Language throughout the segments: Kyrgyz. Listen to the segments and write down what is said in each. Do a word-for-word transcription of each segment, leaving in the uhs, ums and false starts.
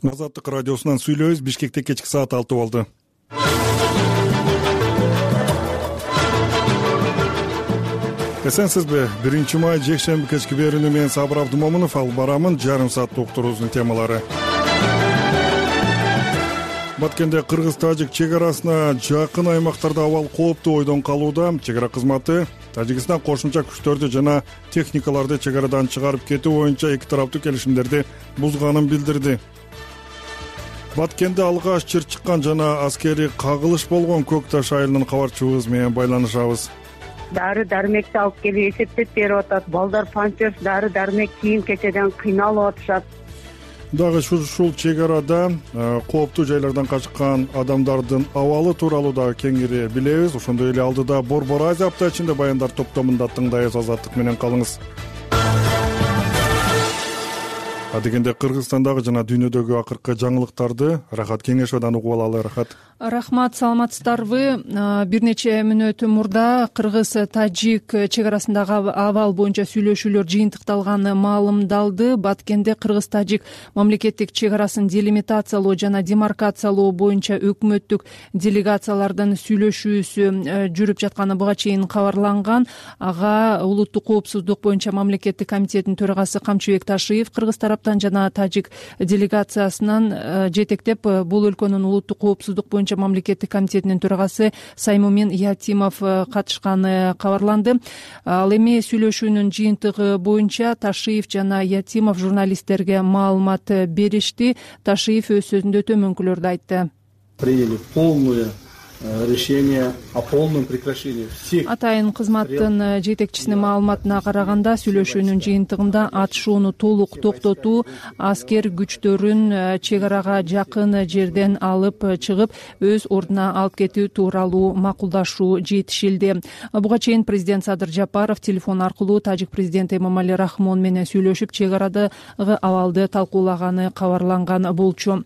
Азаттык радиосунан сүйлөйбүз. Бишкекте кечки саат алты болду. Эсенсизби? биринчи май жекшемби кечки берүүнү мен Сабыр Абдымомунов алып барамын. Жарым сааттык уктуруубуздун темалары. Баткенде Кыргыз-Тажик чек арасына жакын аймактарда абал кооптуу ойдон калууда. Чек ара кызматы Тажикстан кошумча күчтөрдү жана техникаларды чек арадан чыгарып кетүү боюнча эки тараптуу келишимдерди бузганын билдирди. Баткенде алгач чыр чыккан жана аскерий кагылыш болгон Көк Таш айылынын кабарчыбыз менен байланышабыз. Дары дармекти алып келип эсептеп берип атат. Балдар панчер дары дармек кийим кечеден кыйналып атышат. Дагы ушул чек арада кооптуу жайлардан качкан адамдардын абалы тууралуу дагы кеңири билебиз. Ошондой эле алдыда Борбор Азия апта ичинде баяндар топтомунда тыңдайбыз. Азаттык менен калыңыз. Адегенде Кыргызстандагы жана дүйнөдөгү акыркы жаңылыктарды Рахат Кеңешовдон угуп алалы. Рахат. Рахмат, саламатсыздарбы? Бир нече мүнөт мурда Кыргыз-Тажик чек арасындагы абал боюнча сүйлөшүүлөр жыйынтыкталганы маалымдалды. Баткенде Кыргыз-Тажик мамлекеттик чек арасын делимитациялоо жана демаркациялоо боюнча өкмөттүк делегациялардын сүйлөшүүсү жүрүп жатканы буга чейин кабарланган. Ага улуттук коопсуздук боюнча мамлекеттик комитеттин төрагасы Камчыбек Ташиев Кыргыз тараптан жана Тажик делегациясынан жетектеп бул өлкөнүн улуттук коопсуздук боюнча мамлекеттик комитетинин төрагасы Саймумин Ятимов катышканы кабарланды. Ал эми сүйлөшүүнүн жыйынтыгы боюнча Ташиев жана Ятимов журналисттерге маалымат беришти. Ташиев өз сөзүндө төмөнкүлөрдү айтты. Приняли полное решение о полном прекращении всех. Атайын кызматтын жетекчисинин маалыматына караганда сүйлөшүүнүн жыйынтыгында атышууну толук токтотуу, аскер күчтөрүн чек арага жакын жерден алып чыгып, өз ордуна алып кетүү тууралуу макулдашуу жетишилди. Буга чейин президент Садыр Жапаров телефон аркылуу Тажик президенти Эмомали Рахмон менен сүйлөшүп, чек арадагы абалды талкуулаганы кабарланган болчу.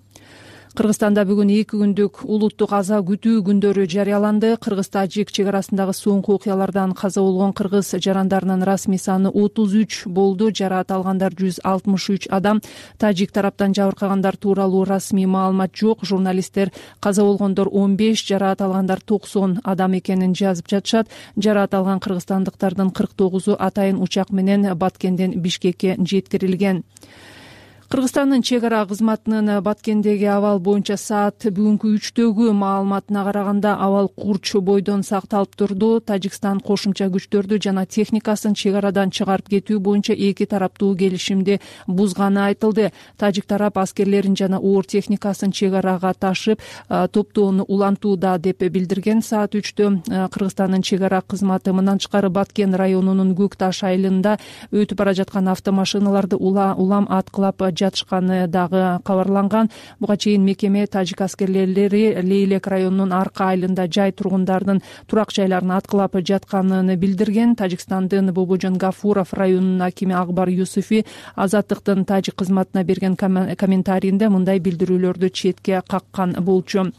Кыргызстанда бүгүн эки күндүк улуттук аза күтүү күндөрү жарыяланды. Кыргыз-Тажик чек арасындагы соңку окуялардан каза болгон кыргыз жарандарынын расмий саны отуз үч болду. Жараат алгандар жүз алтымыш үч адам. Тажик тараптан жабыркагандар тууралуу расмий маалымат жок. Журналисттер каза болгондор он беш, жараат алгандар токсон адам экенин жазып жатышат. Жараат алган кыргызстандыктардын кырк тогузу атайын учак менен Баткенден Бишкекке жеткирилген. Кыргызстандын чек ара кызматынын Баткендеги абал боюнча саат бүгүнкү үчтөгү маалыматына караганда абал курч бойдон сакталып турду. Тажикстан кошумча күчтөрдү жана техникасын чек арадан чыгарып кетүү боюнча эки тараптуу келишимди бузганы айтылды. Тажик тарап аскерлерин жана оор техникасын чек арага ташып, топтоону улантууда деп билдирген. Саат үчтө Кыргызстандын чек ара кызматы мындан тышкары Баткен районунун Көк Таш айылында өтүп бара жаткан автомашиналарды улам аткылап жатышканы дагы кабарланган. Буга чейин мекеме Тажик аскерлери Лейлек районунун Арка айылында жай тургундардын турак жайларын аткылап жатканын билдирген. Тажикстандын Бобожон Гафуров районунун акими Акбар Юсуфи Азаттыктын Тажик кызматына берген комментарийинде мындай билдирүүлөрдү четке каккан болчу.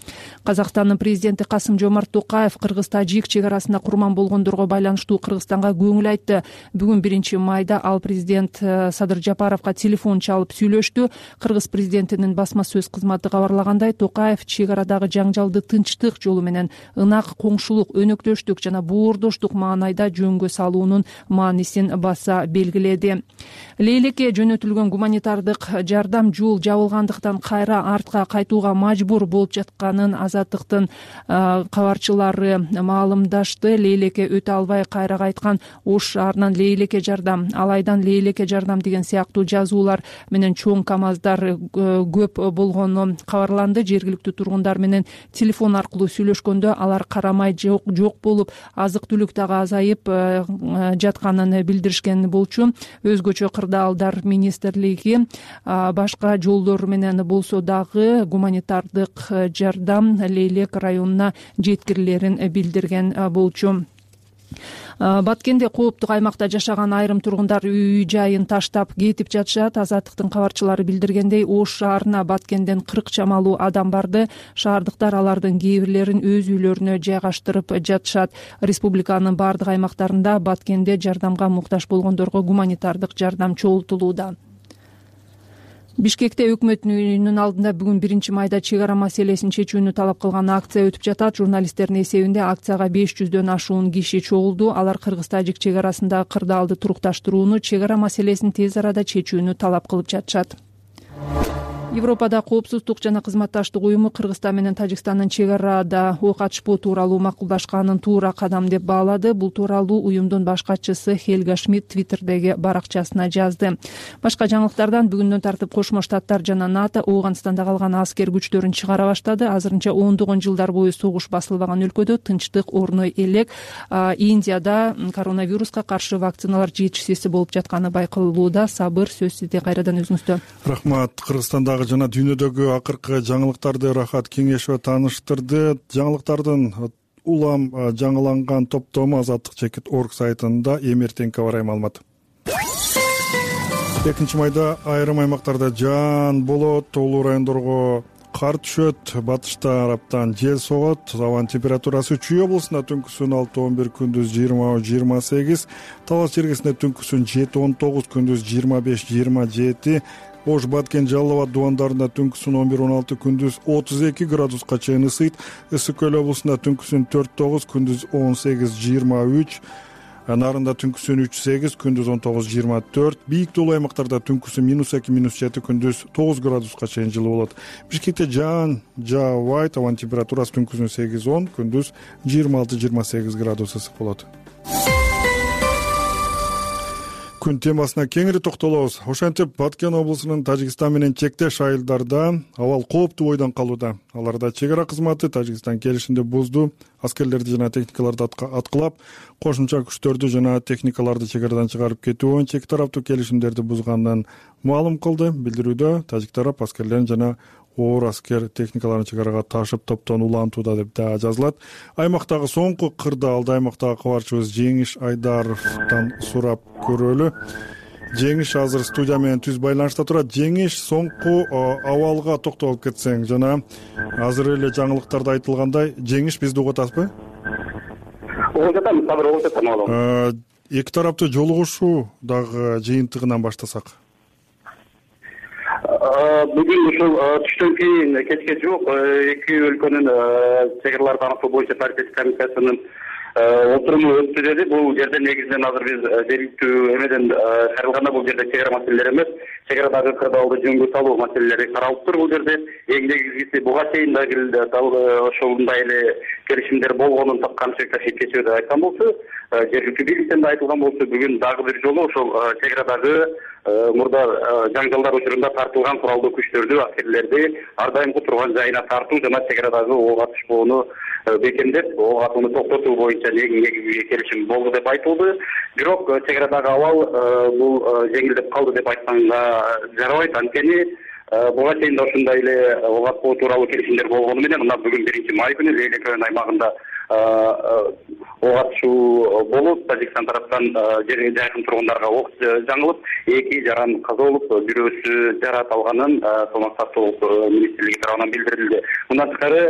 Казакстандын президенти Касым Жомарт Токаев Кыргыз-Тажик чек арасында курман болгондорго байланыштуу Кыргызстанга көңүл айтты. Бүгүн биринчи майда ал президент Садыр Жапаровго телефон чалып сүйлөштү. Кыргыз президентинин басма сөз кызматы кабарлагандай, Токаев чек арадагы жаңжалды тынчтык жолу менен ынак коңшулук, өнөктөштүк жана боордоштук маанайда жөнгө салуунун маанисин баса белгиледи. Лейлекке жөнөтүлгөн гуманитардык жардам жол жабылгандыктан кайра артка кайтууга мажбур болуп жатканын Азаттыктын кабарчылары маалымдашты. Лейлекке өтө албай кайра кайткан Ош шаарынан Лейлекке жардам, Алайдан Лейлекке жардам деген сыяктуу жазуулар менен чоң камаздар көп болгону кабарланды. Жергиликтүү тургундар менен телефон аркылуу сүйлөшкөндө алар карамай жок жок болуп, азык-түлүк дагы азайып жатканын билдиришкен болчу. Өзгөчө кырдаалдар министрлиги башка жолдор менен болсо дагы гуманитардык жардам Лейлек районуна жеткирилерин билдирген болчу. Баткенде кооптук аймакта жашаган айрым тургундар үй жайын таштап кетип жатышат. Азаттыктын кабарчылары билдиргендей, Ош шаарына Баткенден кырк чамалуу адам барды. Шаардыктар алардын кээ бирлерин өз үйлөрүнө жайгаштырып жатышат. Республиканын бардык аймактарында Баткенде жардамга муктаж болгондорго гуманитардык жардам чогултулууда. Бишкекте өкмөт үйүнүн алдында бүгүн биринчи майда чек ара маселесин чечүүнү талап кылган акция өтүп жатат. Журналисттердин эсебинде акцияга беш жүздөн ашуун киши чогулду. Алар кыргыз-тажик чек арасындагы кырдаалды турукташтырууну, чек ара маселесин тез арада чечүүнү талап кылып жатышат. Европада коопсуздук жана кызматташтык уюму Кыргызстан менен Тажикстандын чек арада ок ачпоо тууралуу макулдашканын туура кадам деп баалады. Бул тууралуу уюмдун баш катчысы Хельга Шмидт Твиттердеги баракчасына жазды. Башка жаңылыктардан бүгүндөн тартып Кошмо Штаттар жана НАТО Ооганстанда калган аскер күчтөрүн чыгара баштады. Азырынча ондогон жылдар бою согуш басылбаган өлкөдө тынчтык орной элек. Индияда коронавируска каршы вакциналар жетишсиз болуп жатканы байкалууда. Сабыр, сөз сизде. Кайрадан өзүңүздө. Рахмат. Кыргызстандагы жана дүйнөдөгү акыркы жаңылыктарды Рахат Кеңешова тааныштырды. Жаңылыктардын улам жаңыланган топтому азаттык чекит точка орг сайтында эми эртеңки аба ырайы маалымат. экинчи майда айрым аймактарда жаан болот, тоолуу райондорго кар түшөт, батыш тараптан жел согот. Абанын температурасы Чүй облусунда түнкүсүн алты он бир, күндүз жыйырма жыйырма сегиз, Талас жергесинде түнкүсүн жети он тогуз, күндүз жыйырма беш жыйырма жети, Ош, Баткен, Жалал абад дубандарында түнкүсүн он бир он алты, күндүз отуз эки градуска чейин ысыйт. Ысык көл облусунда түнкүсүн төрт тогуз, күндүз он сегиз жыйырма үч, Нарында түнкүсүн үч сегиз, күндүз он тогуз жыйырма төрт, бийик тоолуу аймактарда түнкүсүн минус эки минус жети, күндүз тогуз градуска чейин жылуу болот. Бишкекте жаан жаабайт, абанын температурасы түнкүсүн сегиз он, күндүз жыйырма алты жыйырма сегиз градус ысык болот. Күн темасына кеңири токтолобуз. Ошентип Баткен облусунун Тажикстан менен чектеш айылдарда абал кооптуу бойдон калууда. Аларда чек ара кызматы Тажикстан келишимди бузду. Аскерлерди жана техникаларды аткылап, кошумча күчтөрдү жана техникаларды чек арадан чыгарып кетүү боюнча эки тараптуу келишимдерди бузганын маалым кылды. Билдирүүдө Тажик тарап аскерлерин жана оор аскер техникаларын чек арага ташып топтон улантууда деп да жазылат. Аймактагы соңку кырдаалды аймактагы кабарчыбыз Жеңиш Айдаровдон сурап көрөлү. Жеңиш азыр студия менен түз байланышта турат. Жеңиш, соңку абалга токтолуп кетсең жана азыр эле жаңылыктарда айтылгандай, Жеңиш бизди угуп атасызбы? Угуп жатам, сабыр угуп жатам. Эки тараптуу жолугушуу дагы жыйынтыгынан баштасак. Бүгүн ушул түштөн кийин кечке жок эки өлкөнүн чек араларды аныктоо боюнча партия комиссиясынын отуруму өттү деди. Бул жерде негизинен азыр биз жергиликтүү эмеден кайрылганда бул жерде чек ара маселелери эмес, чек арадагы кырдаалды жөнгө салуу маселелери каралыптыр бул жерде. Эң негизгиси буга чейин дагы ошондой эле келишимдер болгонун канча кечээ деп айткан болчу, жергиликтүү бийликтен да айтылган болчу. Бүгүн дагы бир жолу ошол чек арадагы мурда жаңжалдар учурунда тартылган куралдуу күчтөрдү, аскерлерди ар дайымкы турган жайына тартуу жана чек арадагы ок атышпоону бекемдеп, ок атууну токтотуу боюнча негизги келишим болду деп айтылды. Бирок чек арадагы абал бул жеңилдеп калды деп айтканга жарабайт. Анткени буга чейин да ушундай эле ок атпоо тууралуу келишимдер болгону менен мына бүгүн биринчи май күнү Лейлек район аймагында ок атышуу болуп, Тажикстан тараптан жерге жакын тургундарга ок жаңылып, эки жаран каза болуп, бирөөсү жарат алганын Саламаттык сактоо министрлиги тарабынан билдирилди. Мындан тышкары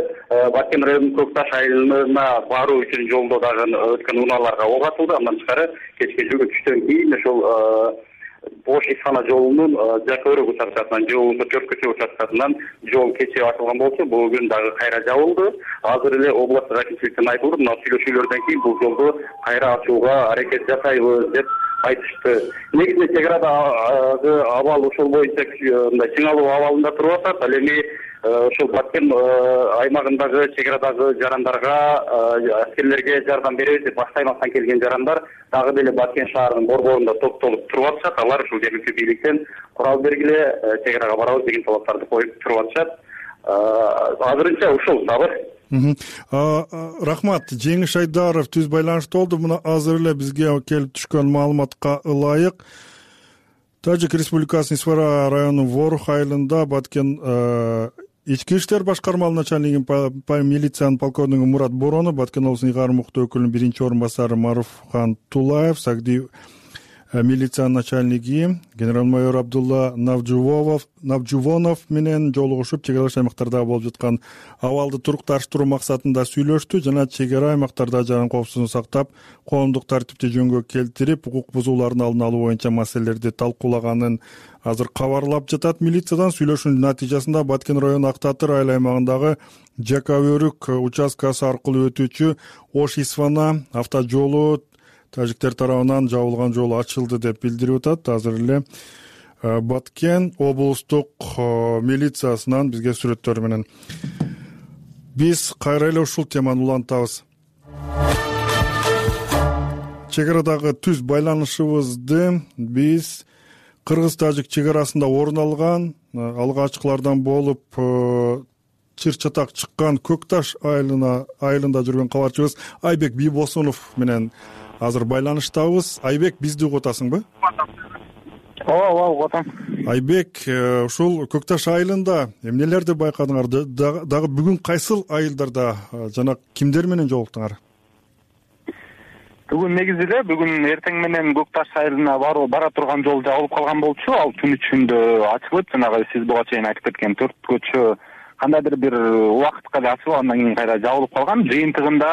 Баткен районунун Көкташ айылына баруу үчүн жолдо дагы өткөн унааларга ок атылды. Андан тышкары кечке жөгө түштөн кийин ошол Ош Исхана жолунун Жакөрөк участкасынан же болбосо Төрткөчө участкасынан жол кечээ ачылган болчу. Бүгүн дагы кайра жабылды. Азыр эле областтык акимчиликтен айтылды, мына сүйлөшүүлөрдөн кийин бул жолду кайра ачууга аракет жасайбыз деп айтышты. Негизинен чек арадагы абал ошол боюнча мындай чыңалуу абалында туруп атат. Ал эми ошол Баткен аймагындагы чек арадагы жарандарга, аскерлерге жардам беребиз деп башка аймактан келген жарандар дагы деле Баткен шаарынын борборунда топтолуп туруп атышат. Алар ушул жергиликтүү бийликтен курал бергиле, чек арага барабыз деген талаптарды коюп туруп атышат. Азырынча ушул сабыр. Рахмат. Жеңиш Айдаров түз байланышта болду. Мына азыр эле бизге келип түшкөн маалыматка ылайык Тажик Республикасынын Исфара районунун Ворух айылында Баткен ички иштер башкармалык начальнигин милициянын полковниги Мурат Боронов, Баткен облусунун ыйгарым укуктуу өкүлүнүн биринчи орун басары Маруфхан Тулаев, Сагди милиция начальниги генерал-майор Абдулла Навжувонов менен жолугушуп, чек аралаш аймактарда болуп жаткан абалды турукташтыруу максатында сүйлөштү жана чек ара аймактарда жаран коопсуздугун сактап, коомдук тартипти жөнгө келтирип, укук бузуулардын алдын алуу боюнча маселелерди талкуулаганын азыр кабарлап жатат. Милициядан сүйлөшүүнүн натыйжасында Баткен району Ак Татыр айыл аймагындагы Жака Өрүк участкасы аркылуу өтүүчү Ош Исфана автожолу тажиктер тарабынан жабылган жол ачылды деп билдирип атат. Азыр эле Баткен облустук милициясынан бизге сүрөттөр менен. Биз кайра эле ушул теманы улантабыз. Чек арадагы түз байланышыбызды биз кыргыз-тажик чек арасында орун алган, алгачкылардан болуп чыр-чатак чыккан Көк Таш айылына айылында жүргөн кабарчыбыз Айбек Бийбосунов менен азыр байланыштабыз. Айбек, бизди угуп атасыңбы? Ооба, ооба, угуп атам. Айбек, ушул Көк Таш айылында эмнелерди байкадыңар? Дагы бүгүн кайсыл айылдарда жана кимдер менен жолуктуңар? Бүгүн негизи эле бүгүн эртең менен Көк Таш айылына баруу бара турган жол жабылып калган болчу. Ал түн ичинде ачылып, жанагы сиз буга чейин айтып кеткен төрт көчө кандайдыр бир убакытка эле ачылып, андан кийин кайра жабылып калган. Жыйынтыгында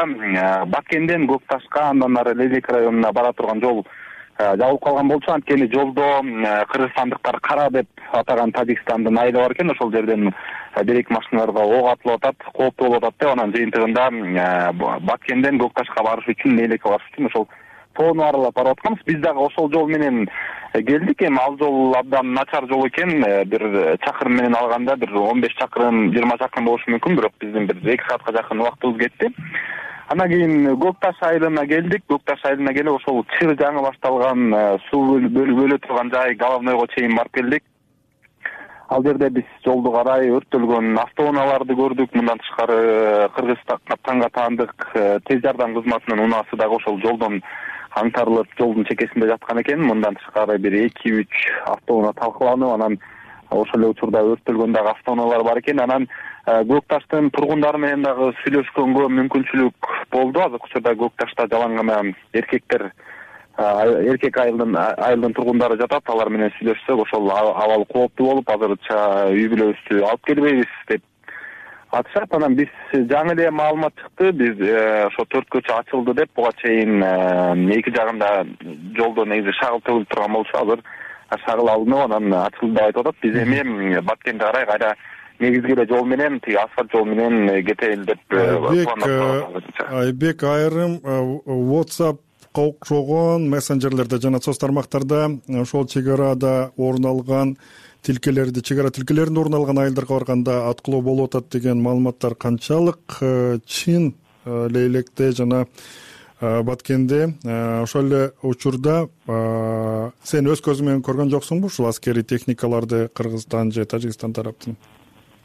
Бакенден Көк Ташка, андан ары Лелек районуна бара турган жол жабылып калган болчу. Анткени жолдо кыргызстандыктар Кара деп атаган Тажикстандын айылы бар экен. Ошол жерден бир-эки машиналарга ок атылып атат, кооптуу болуп атат деп, анан жыйынтыгында Бакенден Көк Ташка барыш үчүн, Лелекке барыш үчүн ошол тоону аралап барып атканбыз. Биз дагы ошол жол менен келдик. Эми ал жол абдан начар жол экен. Бир чакырым менен алганда бир он беш чакырым, жыйырма чакырым болушу мүмкүн, бирок биздин бир эки саатка жакын убактыбыз кетти. Андан кийин Көк Таш айылына келдик. Көк Таш айылына келип ошол чыр жаңы башталган суу бөлө турган жай Головнойго чейин барып келдик. Ал жерде биз жолду карай өрттөлгөн автоунааларды көрдүк. Мындан тышкары Кыргызстанга таандык тез жардам кызматынын унаасы дагы ошол жолдон аңтарылып, жолдун чекесинде жаткан экен. Мындан тышкары бир эки үч автоунаа талкаланып, анан ошол эле учурда өрттөлгөн дагы автоунаалар бар экен. Анан Көк Таштын тургундары менен дагы сүйлөшкөнгө мүмкүнчүлүк болду. Азыркы учурда Көк Ташта жалаң гана эркектер, эркек айылдын айылдын тургундары жатат. Алар менен сүйлөшсөк, ошол абал кооптуу болуп, азырча үй бүлөбүздү алып келбейбиз деп атышат. Анан биз жаңы эле маалымат чыкты. Биз ошо төрт көчө ачылды деп, буга чейин эки жагында жолдо негизи шагыл төгүлүп турган болчу. Азыр шагыл алынып, анан ачылды деп айтып атат. Биз эми Баткенге карай кайра негизги эле жол менен, тиги асфальт жол менен кетели деп пландап. Айбек, айрым WhatsApp окшогон мессенджерлерде жана соц тармактарда ошол чек арада орун алган тилкелерди, чек ара тилкелеринде орун алган айылдарга барганда аткылоо болуп атат деген маалыматтар канчалык чын? Лейлекте жана Баткенде ошол эле учурда сен өз көзүң менен көргөн жоксуңбу ушул аскерий техникаларды Кыргызстан же Тажикстан тараптын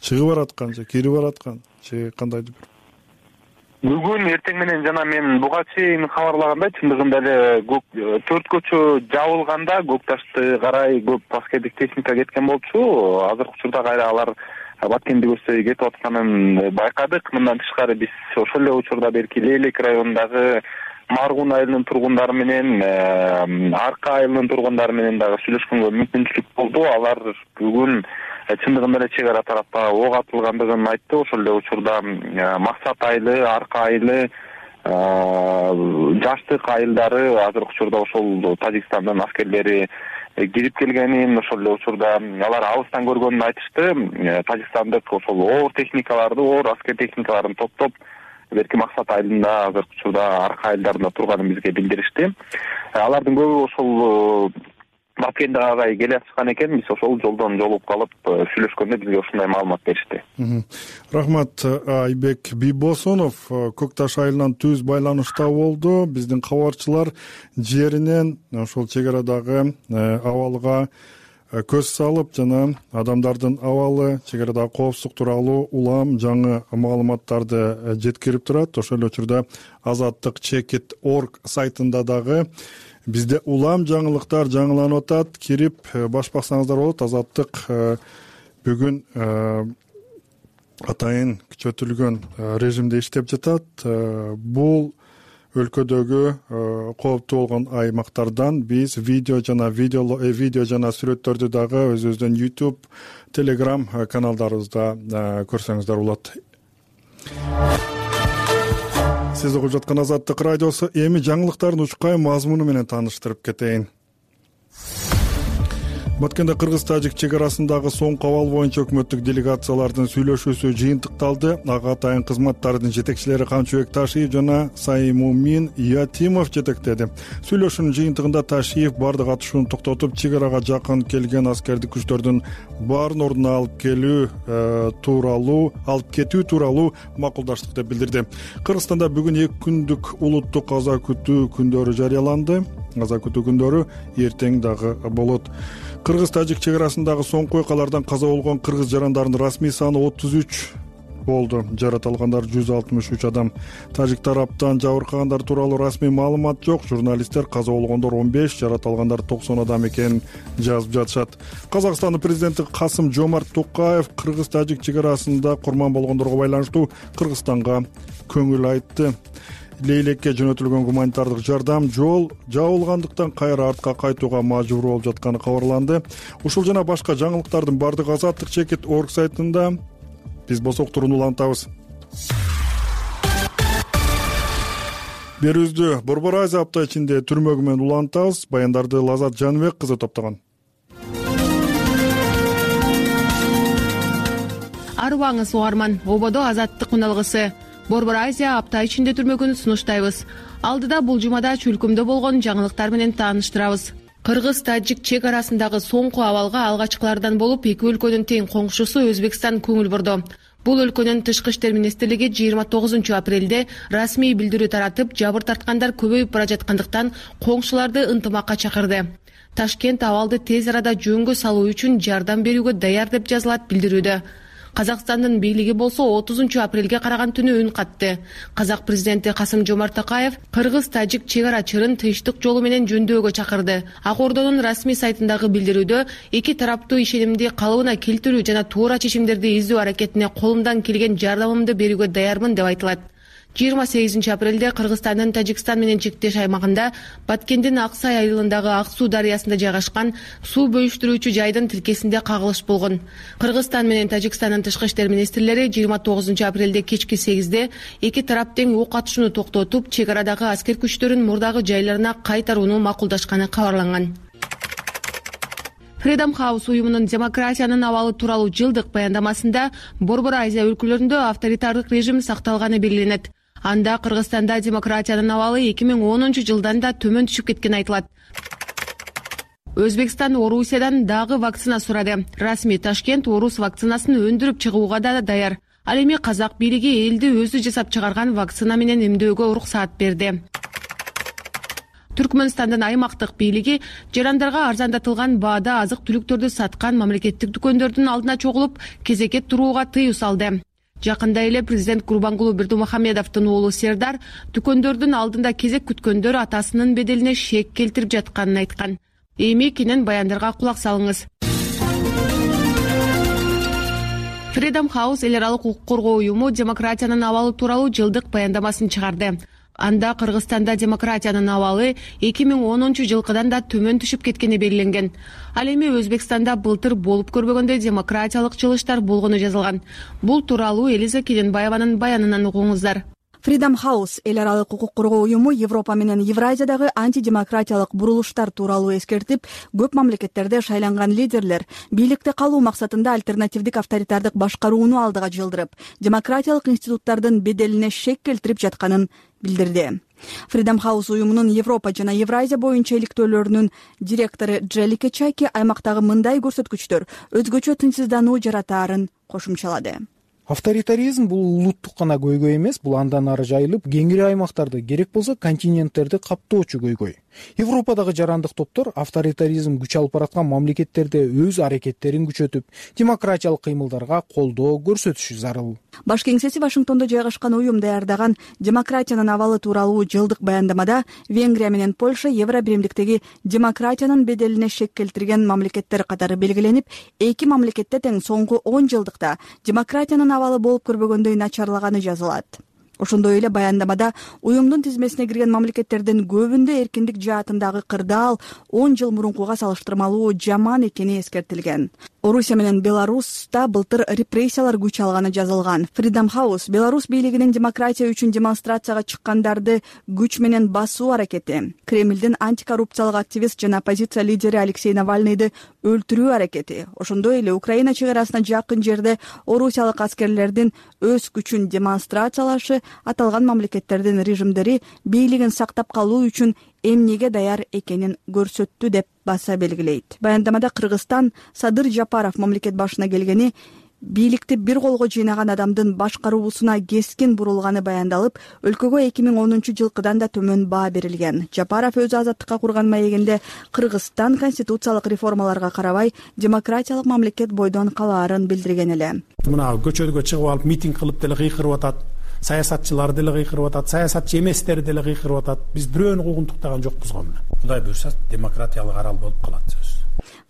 чыгып бараткан же кирип бараткан же кандайдыр бир? Бүгүн эртең менен жана мен буга чейин кабарлагандай, чындыгында эле төрт көчө жабылганда Көк Ташты карай көп аскердик техника кеткен болчу. Азыркы учурда кайра алар Баткенди көздөй кетип атканын байкадык. Мындан тышкары биз ошол эле учурда берки Лейлек районундагы Маргун айылынын тургундары менен, Арка айылынын тургундары менен дагы сүйлөшкөнгө мүмкүнчүлүк болду. Алар бүгүн чындыгында эле чек ара тарапка ок атылгандыгын айтты. Ошол эле учурда Максат айылы, Арка айылы, Жаштык айылдары азыркы учурда ошол Тажикстандын аскерлери кирип келгенин, ошол эле учурда алар алыстан көргөнүн айтышты. Тажикстандык ошол оор техникаларды, оор аскер техникаларын топтоп берки Максат айылында, азыркы учурда Арка айылдарында турганын бизге билдиришти. Алардын көбү ошол Баткенде карай келе жаткан экен. Биз ошол жолдон жолугуп калып сүйлөшкөндө бизге ушундай маалымат беришти. Рахмат. Айбек Бийбосунов Көк Таш айылынан түз байланышта болду. Биздин кабарчылар жеринен ошол чек арадагы абалга көз салып жана адамдардын абалы, чек арадагы коопсуздук тууралуу улам жаңы маалыматтарды жеткирип турат. Ошол учурда азаттык чекит точка орг сайтында дагы бизде улам жаңылыктар жаңыланып атат. Кирип баш баксаңыздар болот. Азаттык бүгүн атайын күчөтүлгөн режимде иштеп жатат. Бул өлкөдөгү кооптуу болгон аймактардан биз видео жана видео видео жана сүрөттөрдү дагы өзүбүздүн YouTube, Telegram каналдарыбызда көрсөңүздөр болот. Сиз угуп жаткан Азаттык радиосу. Эми жаңылыктардын учкай мазмуну менен тааныштырып кетейин. Баткенде кыргыз-тажик чек арасындагы соңку абал боюнча өкмөттүк делегациялардын сүйлөшүүсү жыйынтыкталды. Ага атайын кызматтардын жетекчилери Камчыбек Ташиев жана Саймумин Ятимов жетектеди. Сүйлөшүүнүн жыйынтыгында Ташиев бардык атышууну токтотуп, чек арага жакын келген аскердик күчтөрдүн баарын ордуна алып келүү тууралуу, алып кетүү тууралуу макулдаштык деп билдирди. Кыргызстанда бүгүн эки күндүк улуттук аза күтүү күндөрү жарыяланды. Аза күтүү күндөрү эртең дагы болот. Кыргыз-тажик чек арасындагы соңку окуялардан каза болгон кыргыз жарандарынын расмий саны отуз үч болду. Жарат алгандар жүз алтымыш үч адам. Тажик тараптан жабыркагандар тууралуу расмий маалымат жок. Журналисттер каза болгондор он беш, жарат алгандар токсон адам экенин жазып жатышат. Казакстандын президенти Касым Жомарт Токаев кыргыз-тажик чек арасында курман болгондорго байланыштуу Кыргызстанга көңүл айтты. Лейлекке жөнөтүлгөн гуманитардык жардам жол жабылгандыктан кайра артка кайтууга мажбур болуп жатканы кабарланды. Ушул жана башка жаңылыктардын бардыгы Азаттык чекит точка орг сайтында. Биз босок турууну улантабыз. Берүүбүздү Борбор Азия апта ичинде түрмөгү менен улантабыз. Баяндарды Лазат Жаныбек кызы топтогон. Арыбаңыз угарман, ободо Азаттык үналгысы. Борбор Азия апта ичинде түрмөгүн сунуштайбыз. Алдыда бул жумада чүлкүмдө болгон жаңылыктар менен тааныштырабыз. Кыргыз-тажик чек арасындагы соңку абалга алгачкылардан болуп, эки өлкөнүн тең коңшусу Өзбекстан көңүл бурду. Бул өлкөнүн тышкы иштер министрлиги жыйырма тогузунчу апрелде расмий билдирүү таратып, жабыр тарткандар көбөйүп бара жаткандыктан коңшуларды ынтымакка чакырды. Ташкент абалды тез арада жөнгө салуу үчүн жардам берүүгө даяр деп жазылат билдирүүдө. Казакстандын бийлиги болсо отузунчу апрелге караган түнү үн катты. Казак президенти Касым Жомарт Токаев кыргыз-тажик чек ара чырын тынчтык жолу менен жөндөөгө чакырды. Ак Ордонун расмий сайтындагы билдирүүдө эки тараптуу ишенимди калыбына келтирүү жана туура чечимдерди издөө аракетине колумдан келген жардамымды берүүгө даярмын деп айтылат. жыйырма сегизинчи апрелде Кыргызстандын Тажикстан менен чектеш аймагында Баткендин Аксай айылындагы Ак Суу дарыясында жайгашкан суу бөлүштүрүүчү жайдын тилкесинде кагылыш болгон. Кыргызстан менен Тажикстандын тышкы иштер министрлери жыйырма тогузунчу апрелде кечки сегизде эки тарап тең ок атышууну токтотуп, чек арадагы аскер күчтөрүн мурдагы жайларына кайтарууну макулдашканы кабарланган. Freedom House уюмунун демократиянын абалы тууралуу жылдык баяндамасында Борбор Азия өлкөлөрүндө авторитардык режим сакталганы белгиленет. Анда Кыргызстанда демократиянын абалы эки миң онунчу жылдан да төмөн түшүп кеткени айтылат. Өзбекстан Орусиядан дагы вакцина сурады. Расмий Ташкент орус вакцинасын өндүрүп чыгууга да даяр. Ал эми казак бийлиги элди өзү жасап чыгарган вакцина менен эмдөөгө уруксаат берди. Түркмөнстандын аймактык бийлиги жарандарга арзандатылган баада азык-түлүктөрдү саткан мамлекеттик дүкөндөрдүн алдына чогулуп, кезекке турууга тыюу салды. Жакында эле президент Курбангулуу Бердымухамедовдун уулу Сердар дүкөндөрдүн алдында кезек күткөндөр атасынын беделине шек келтирип жатканын айткан. Эми кенен баяндарга кулак салыңыз. Freedom House эл аралык укук коргоо уюму демократиянын абалы тууралуу жылдык баяндамасын чыгарды. Анда Кыргызстанда демократиянын абалы эки миң онунчу жылкыдан да төмөн түшүп кеткени белгиленген. Ал эми Өзбекстанда былтыр болуп көрбөгөндөй демократиялык чылыштар болгону жазылган. Бул тууралуу Элиза Келенбаеванын баянынан угуңуздар. Freedom House эл аралык укук коргоо уюму Европа менен Евразиядагы антидемократиялык бурулуштар тууралуу эскертип, көп мамлекеттерде шайланган лидерлер бийликте калуу максатында альтернативдик авторитардык башкарууну алдыга жылдырып, демократиялык институттардын беделине шек келтирип жатканын билдирди. Freedom House уюмунун Европа жана Евразия боюнча иликтөөлөрүнүн директору Джелике Чайки аймактагы мындай көрсөткүчтөр өзгөчө тынчсыздануу жаратаарын кошумчалады. Авторитаризм бул улуттук гана көйгөй эмес, бул андан ары жайылып, кеңири аймактарды, керек болсо континенттерди каптоочу көйгөй. Европадагы жарандык топтор авторитаризм күч алып бараткан мамлекеттерде өз аракеттерин күчөтүп, демократиялык кыймылдарга колдоо көрсөтүшү зарыл. Баш кеңсеси Вашингтондо жайгашкан уюм даярдаган демократиянын абалы тууралуу жылдык баяндамада Венгрия менен Польша Евро биримдиктеги демократиянын беделине шек келтирген мамлекеттер катары белгиленип, эки мамлекетте тең соңку он жылдыкта демократиянын абалы болуп көрбөгөндөй начарлаганы жазылат. Ошондой эле баяндамада уюмдун тизмесине кирген мамлекеттердин көбүндө эркиндик жаатындагы кырдаал он жыл мурункуга салыштырмалуу жаман экени эскертилген. Орусия менен Беларуста былтыр репрессиялар күч алганы жазылган. Freedom House Беларусь бийлигинин демократия үчүн демонстрацияга чыккандарды күч менен басуу аракети, Кремлдин антикоррупциялык активист жана оппозиция лидери Алексей Навальныйды өлтүрүү аракети, ошондой эле Украина чек арасына жакын жерде орусиялык аскерлердин өз күчүн демонстрациялашы аталган мамлекеттердин режимдери бийлигин сактап калуу үчүн эмнеге даяр экенин көрсөттү деп баса белгилейт. Баяндамада Кыргызстан Садыр Жапаров мамлекет башына келгени бийликти бир колго жыйнаган адамдын башкаруусуна кескин бурулганы баяндалып, өлкөгө эки миң онунчу жылкыдан да төмөн баа берилген. Жапаров өзү азаттыкка курган маегинде Кыргызстан конституциялык реформаларга карабай демократиялык мамлекет бойдон калаарын билдирген эле. Мына көчөгө чыгып алып митинг кылып деле кыйкырып атат. Саясатчылар деле кыйкырып атат, саясатчы эместер деле кыйкырып атат. Биз бирөөнү куугунтуктаган жокпуз го мына. Кудай буйрса демократиялык арал болуп калат сөз.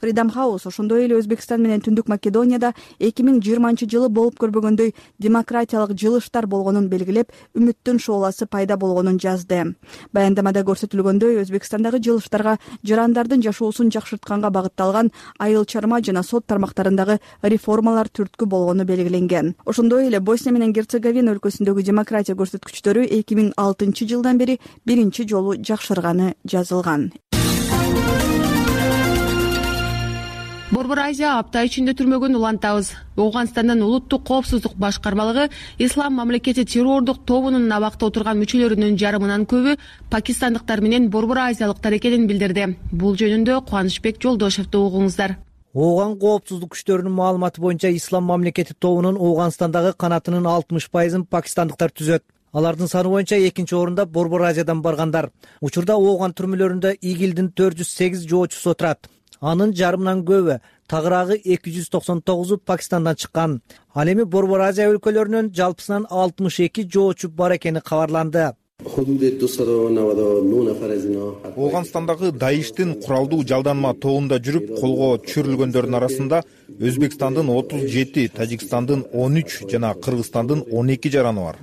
Freedom House ошондой эле Өзбекстан менен Түндүк Македонияда эки миң жыйырманчы жылы болуп көрбөгөндөй демократиялык жылыштар болгонун белгилеп, үмүттүн шооласы пайда болгонун жазды. Баяндамада көрсөтүлгөндөй, Өзбекстандагы жылыштарга жарандардын жашоосун жакшыртканга багытталган айыл чарма жана сот тармактарындагы реформалар түрткү болгону белгиленген. Ошондой эле Босния менен Герцеговина өлкөсүндөгү демократия көрсөткүчтөрү эки миң алтынчы жылдан бери биринчи жолу жакшырганы жазылган. Борбор Азия апта ичинде түрмөгүн улантабыз. Ооганстандын улуттук коопсуздук башкармалыгы ислам мамлекети террордук тобунун абакта отурган мүчөлөрүнүн жарымынан көбү пакистандыктар менен борбор азиялыктар экенин билдирди. Бул жөнүндө Кубанычбек Жолдошевду угуңуздар. Ооган коопсуздук күчтөрүнүн маалыматы боюнча ислам мамлекети тобунун Ооганстандагы канатынын алтымыш пайызын пакистандыктар түзөт. Алардын саны боюнча экинчи орунда Борбор Азиядан баргандар. Учурда Ооган түрмөлөрүндө ИГИЛдин төрт жүз сегиз жоочусу отурат. Анын жарымынан көбү, тагыраагы эки жүз токсон тогузу Пакистандан чыккан. Ал эми Борбор Азия өлкөлөрүнөн жалпысынан алтымыш эки жоочу бар экени кабарланды. Ооганстандагы Даиштин куралдуу жалданма тобунда жүрүп колго түшүрүлгөндөрдүн арасында Өзбекстандын отуз жети, Тажикстандын он үч жана Кыргызстандын он эки жараны бар.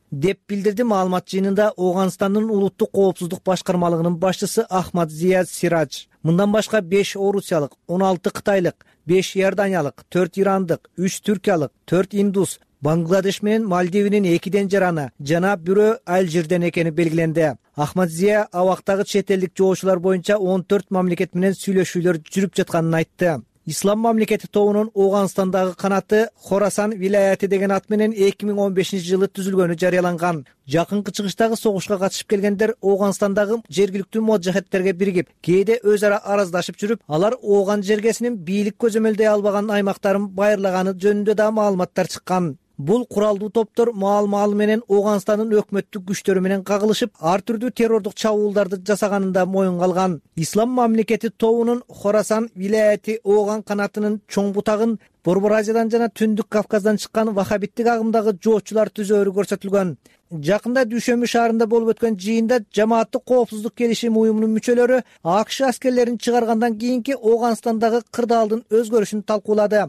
Деп билдирди маалымат жыйынында Ооганстандын улуттук коопсуздук башкармалыгынын башчысы Ахмад Зия Сирадж. Мындан башка беш орусиялык, он алты кытайлык, беш иорданиялык, төрт ирандык, үч түркиялык, төрт индус, Бангладеш менен Мальдивинин экиден жараны жана бирөө Алжирден экени белгиленди. Ахмад Зия абактагы чет элдик жоочулар боюнча он төрт мамлекет менен сүйлөшүүлөр жүрүп жатканын айтты. Ислам мамлекети тобунун Ооганстандагы канаты Хорасан вилаяты деген ат менен эки миң он бешинчи жылы түзүлгөнү жарыяланган. Жакынкы чыгыштагы согушка катышып келгендер Ооганстандагы жергиликтүү моджахеттерге биригип, кээде өз ара араздашып жүрүп, алар Ооган жергесинин бийлик көзөмөлдөй албаган аймактарын байырлаганы жөнүндө да маалыматтар чыккан. Бул куралдуу топтор маал-маал менен Ооганстандын өкмөттүк күчтөрү менен кагылышып, ар түрдүү террордук чабуулдарды жасаганында моюнга алган. Ислам мамлекети тобунун Хорасан вилаяти Ооган канатынын чоң бутагын Борбор Азиядан жана Түндүк Кавказдан чыккан вахабиттик агымдагы жоочулар түзөөрү көрсөтүлгөн. Жакында Дүйшөмбү шаарында болуп өткөн жыйында жамааттык коопсуздук келишим уюмунун мүчөлөрү АКШ аскерлерин чыгаргандан кийинки Ооганстандагы кырдаалдын өзгөрүшүн талкуулады.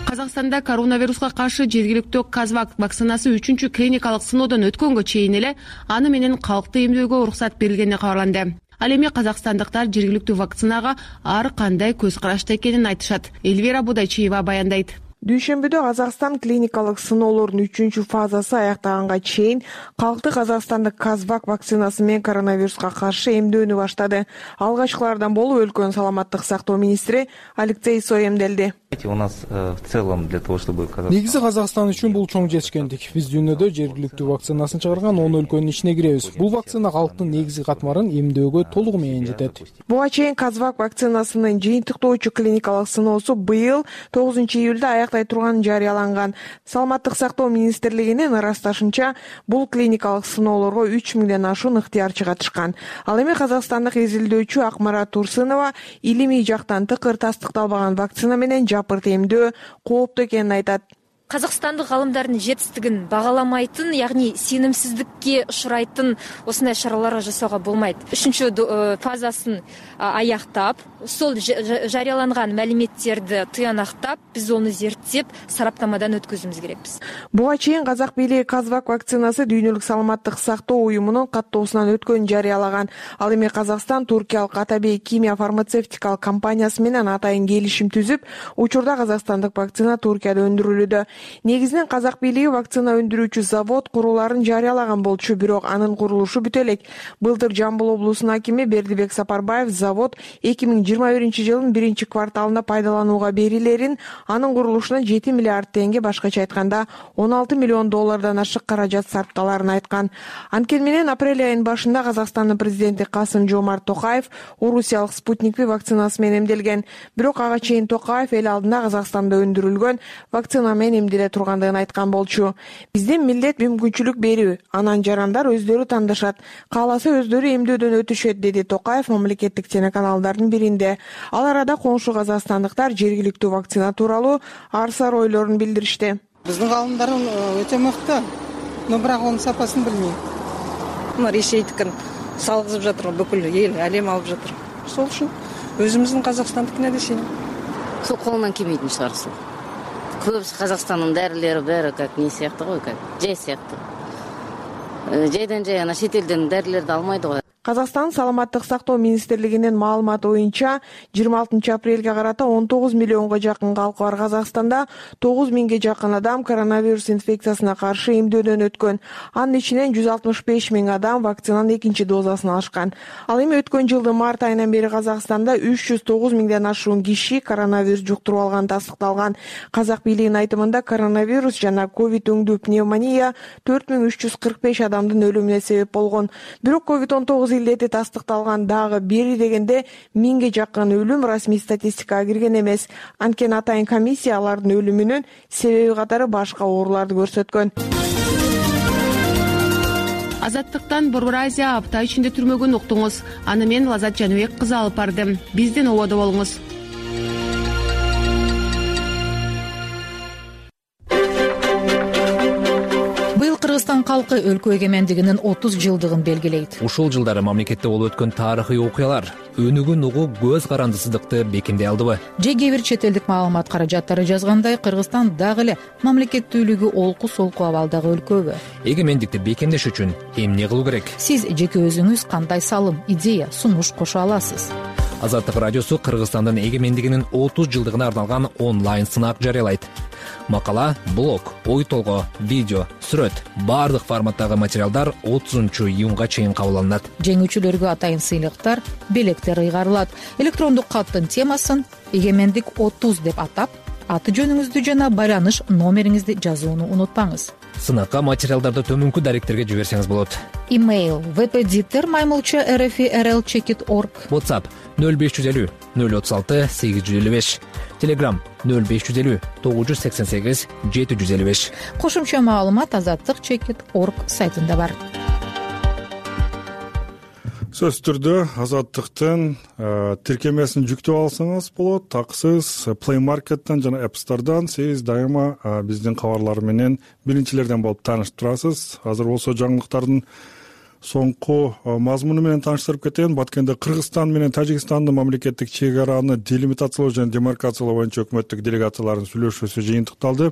Казакстанда коронавируска каршы жергиликтүү Казвак вакцинасы үчүнчү клиникалык сыноодон өткөнгө чейин эле аны менен калкты эмдөөгө уруксат берилгени кабарланды. Ал эми казакстандыктар жергиликтүү вакцинага ар кандай көз карашта экенин айтышат. Эльвира Будайчиева баяндайт. Дүйшөмбүдө Казакстан клиникалык сыноолордун үчүнчү фазасы аяктаганга чейин калкты Казакстандык Казвак вакцинасы менен коронавируска каршы эмдөөнү баштады. Алгачкылардан болуп өлкөнүн саламаттык сактоо министри Алексей Сой эмделди. У нас в целом для того, чтобы негизи Казакстан үчүн бул чоң жетишкендик. Биз дүйнөдө жергиликтүү вакцинасын чыгарган он өлкөнүн ичине киребиз. Бул вакцина калктын негизги катмарын эмдөөгө толугу менен жетет. Буга чейин Казвак вакцинасынын жыйынтыктоочу клиникалык сыноосу быйыл тогузунчу июлда аяктай турганы жарыяланган. Саламаттык сактоо министрлигинин ырасташынча, бул клиникалык сыноолорго үч миңден ашуун ыктыярчы катышкан. Ал эми казакстандык изилдөөчү Акмара Турсынова илимий жактан тыкыр тастыкталбаган вакцина менен жапырт эмдөө кооптуу экенин айтат. казакстандык гаалымдардын жетистигин багаламайтын, ягни сенимсиздикке учурайтын осундай чаралар жасоого болмойт. Үчүнчү фазасын аяктап, сол жарыяланган маалиметтерди тыянактап, биз аны зерттеп, сараптамадан өткөзүүбүз керекпиз. Буга чейин казак бийлиги Казвак вакцинасы дүйнөлүк саламаттык сактоо уюмунун каттоосунан өткөнүн жарыялаган. Ал эми Казакстан туркиялык Атабей Кимия фармацевтикалык компаниясы менен атайын келишим түзүп, учурда казакстандык вакцина Туркияда өндүрүлүүдө. Негизинен казак бийлиги вакцина өндүрүүчү завод куруларын жарыялаган болчу, бирок анын курулушу бүтө элек. Былтыр Жамбыл облусунун акими Бердибек Сапарбаев завод эки миң жыйырма биринчи жылдын биринчи кварталында пайдаланууга берилерин, анын курулушуна жети миллиард теңге, башкача айтканда он алты миллион доллардан ашык каражат сарпталарын айткан. Анткени менен апрель айынын башында Казакстандын президенти Касым-Жомарт Токаев орусиялык Спутник V вакцинасы менен эмделген. Бирок ага чейин Токаев эл алдында Казакстанда өндүрүлгөн вакцина менен эмделе тургандыгын айткан болчу. Бизден милдет мүмкүнчүлүк берүү, анан жарандар өздөрү тандашат, кааласа өздөрү эмдөөдөн өтүшөт, деди Токаев мамлекеттик телеканалдардын биринде. Ал арада коңшу казакстандыктар жергиликтүү вакцина тууралуу ар-сар ойлорун билдиришти. Биздин гаалымдар өтө мыкты, но бирок анын сапасын билмейм. Мына Ресейдикин салгызып жатыр, бүкүл эл, әлем алып жатыр. Сол үчүн өзүбүздүн казакстандыкына десейм. Сол колунан келбейтин чыгар сол. Көбүсү Казакстандын дарылери баары как не сыяктуу го, как жай сыяктуу. Жайдан жай ана чет элден дарылерди алмайды го. Казакстан саламаттык сактоо министрлигинин маалыматы боюнча жыйырма алтынчы апрелге карата он тогуз миллионго жакын калкы бар Казакстанда тогуз миңге жакын адам коронавирус инфекциясына каршы эмдөөдөн өткөн. Анын ичинен жүз алтымыш беш миң адам вакцинанын экинчи дозасын алышкан. Ал эми өткөн жылдын март айынан бери Казакстанда үч жүз тогуз миңден ашуун киши коронавирус жуктуруп алганы тастыкталган. Казак бийлигинин айтымында коронавирус жана ковид өңдүү пневмония төрт миң үч жүз кырк беш адамдын өлүмүнө себеп болгон. Бирок ковид он тогуз илдети тастыкталган дагы бери дегенде миңге жакын өлүм расмий статистикага кирген эмес. Анткени атайын комиссия алардын өлүмүнүн себеби катары башка ооруларды көрсөткөн. Азаттыктан Борбор Азия апта ичинде түрмөгүн уктуңуз. Аны мен Лазат Жаныбек кызы алып бардым. Бизден ободо болуңуз. Кыргызстан калкы өлкө эгемендигинин отуз жылдыгын белгилейт. Ушул жылдары мамлекетте болуп өткөн тарыхый окуялар өнүгүн угуп көз карандысыздыкты бекемдей алдыбы? Же кээ бир чет элдик маалымат каражаттары жазгандай, Кыргызстан дагы эле мамлекеттүүлүгү олку-солку абалдагы өлкөбү? Эгемендикти бекемдеш үчүн эмне кылуу керек? Сиз жеке өзүңүз кандай салым, идея, сунуш кошо аласыз? Азаттык радиосу Кыргызстандын эгемендигинин отуз жылдыгына арналган онлайн сынак жарыялайт. Макала, блог, ой толгоо, видео, сүрөт, баардык форматтагы материалдар отузунчу июнга чейин кабыл алынат. Жеңүүчүлөргө атайын сыйлыктар, белектер ыйгарылат. Электрондук каттын темасын эгемендик отуз деп атап, аты жөнүңүздү жана байланыш номериңизди жазууну унутпаңыз. Сынакка материалдарды төмөнкү даректерге жиберсеңиз болот. Имейл впдиттер маймылча rfrl чекит org. WhatsApp нөл беш жүз элүү нөл отуз алты сегиз жүз элүү беш. Telegram нөл беш жүз элүү тогуз жүз сексен сегиз жети жүз элүү беш. Кошумча маалымат азаттык чекит org сайтында бар. Сөз түрдө азаттыктын тиркемесин жүктөп алсаңыз болот. Таксыз Play Market'тан жана App Store'дан сиз дайыма биздин кабарлар менен биринчилерден болуп таанышып турасыз. Азыр болсо жаңылыктардын соңку мазмуну менен тааныштырып кетейин. Баткенде Кыргызстан менен Тажикстандын мамлекеттик чек араны делимитациялоо жана демаркациялоо боюнча өкмөттүк делегациялардын сүйлөшүүсү жыйынтыкталды.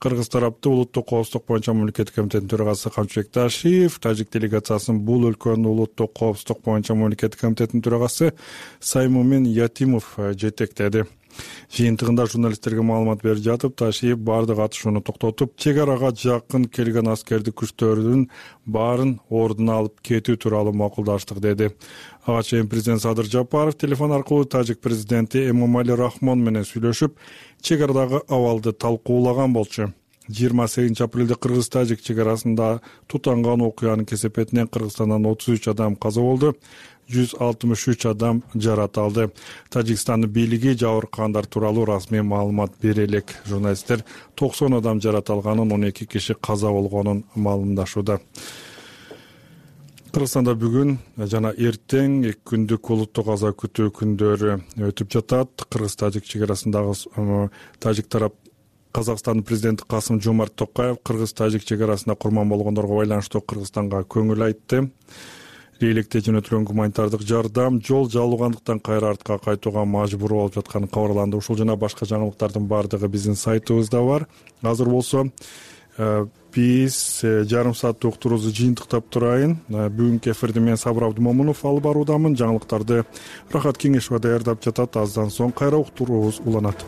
Кыргыз тарапты улуттук коопсуздук боюнча мамлекеттик комитеттин төрагасы Камчыбек Ташиев, Тажик делегациясын бул өлкөнүн улуттук коопсуздук боюнча мамлекеттик комитеттин төрагасы Саймумин Ятимов жетектеди. Жыйынтыгында журналисттерге маалымат берип жатып, Ташиев баардык атышууну токтотуп, чек арага жакын келген аскердик күчтөрдүн баарын ордуна алып кетүү тууралуу макулдаштык деди. Ага чейин президент Садыр Жапаров телефон аркылуу тажик президенти Эмомали Рахмон менен сүйлөшүп, чек арадагы абалды талкуулаган болчу. жыйырма сегизинчи апрелде Кыргыз-Тажик чек арасында тутанган окуянын кесепетинен Кыргызстандан отуз үч адам каза болду, жүз алтымыш үч адам жарат алды. Тажикстандын бийлиги жабыркагандар тууралуу расмий маалымат бере элек. Журналисттер токсон адам жарат алганын, он эки киши каза болгонун маалымдашууда. Кыргызстанда бүгүн жана эртең эки күндүк улуттук аза күтүү күндөрү өтүп жатат. Кыргыз-Тажик чек арасындагы тажик тарап Казакстандын президенти Касым Жомарт Токаев кыргыз-тажик чек арасында курман болгондорго байланыштуу Кыргызстанга көңүл айтты. Бийликте жөнөтүлгөн гуманитардык жардам жол жабылгандыктан кайра артка кайтууга мажбур болуп жатканы кабарланды. Ушул жана башка жаңылыктардын баардыгы биздин сайтыбызда бар. Азыр болсо биз жарым сааттык уктуруубузду жыйынтыктап турайын. Бүгүнкү эфирди мен Сабыр Абдымомунов алып баруудамын. Жаңылыктарды Рахат Кеңешова даярдап жатат. Аздан соң кайра уктуруубуз уланат.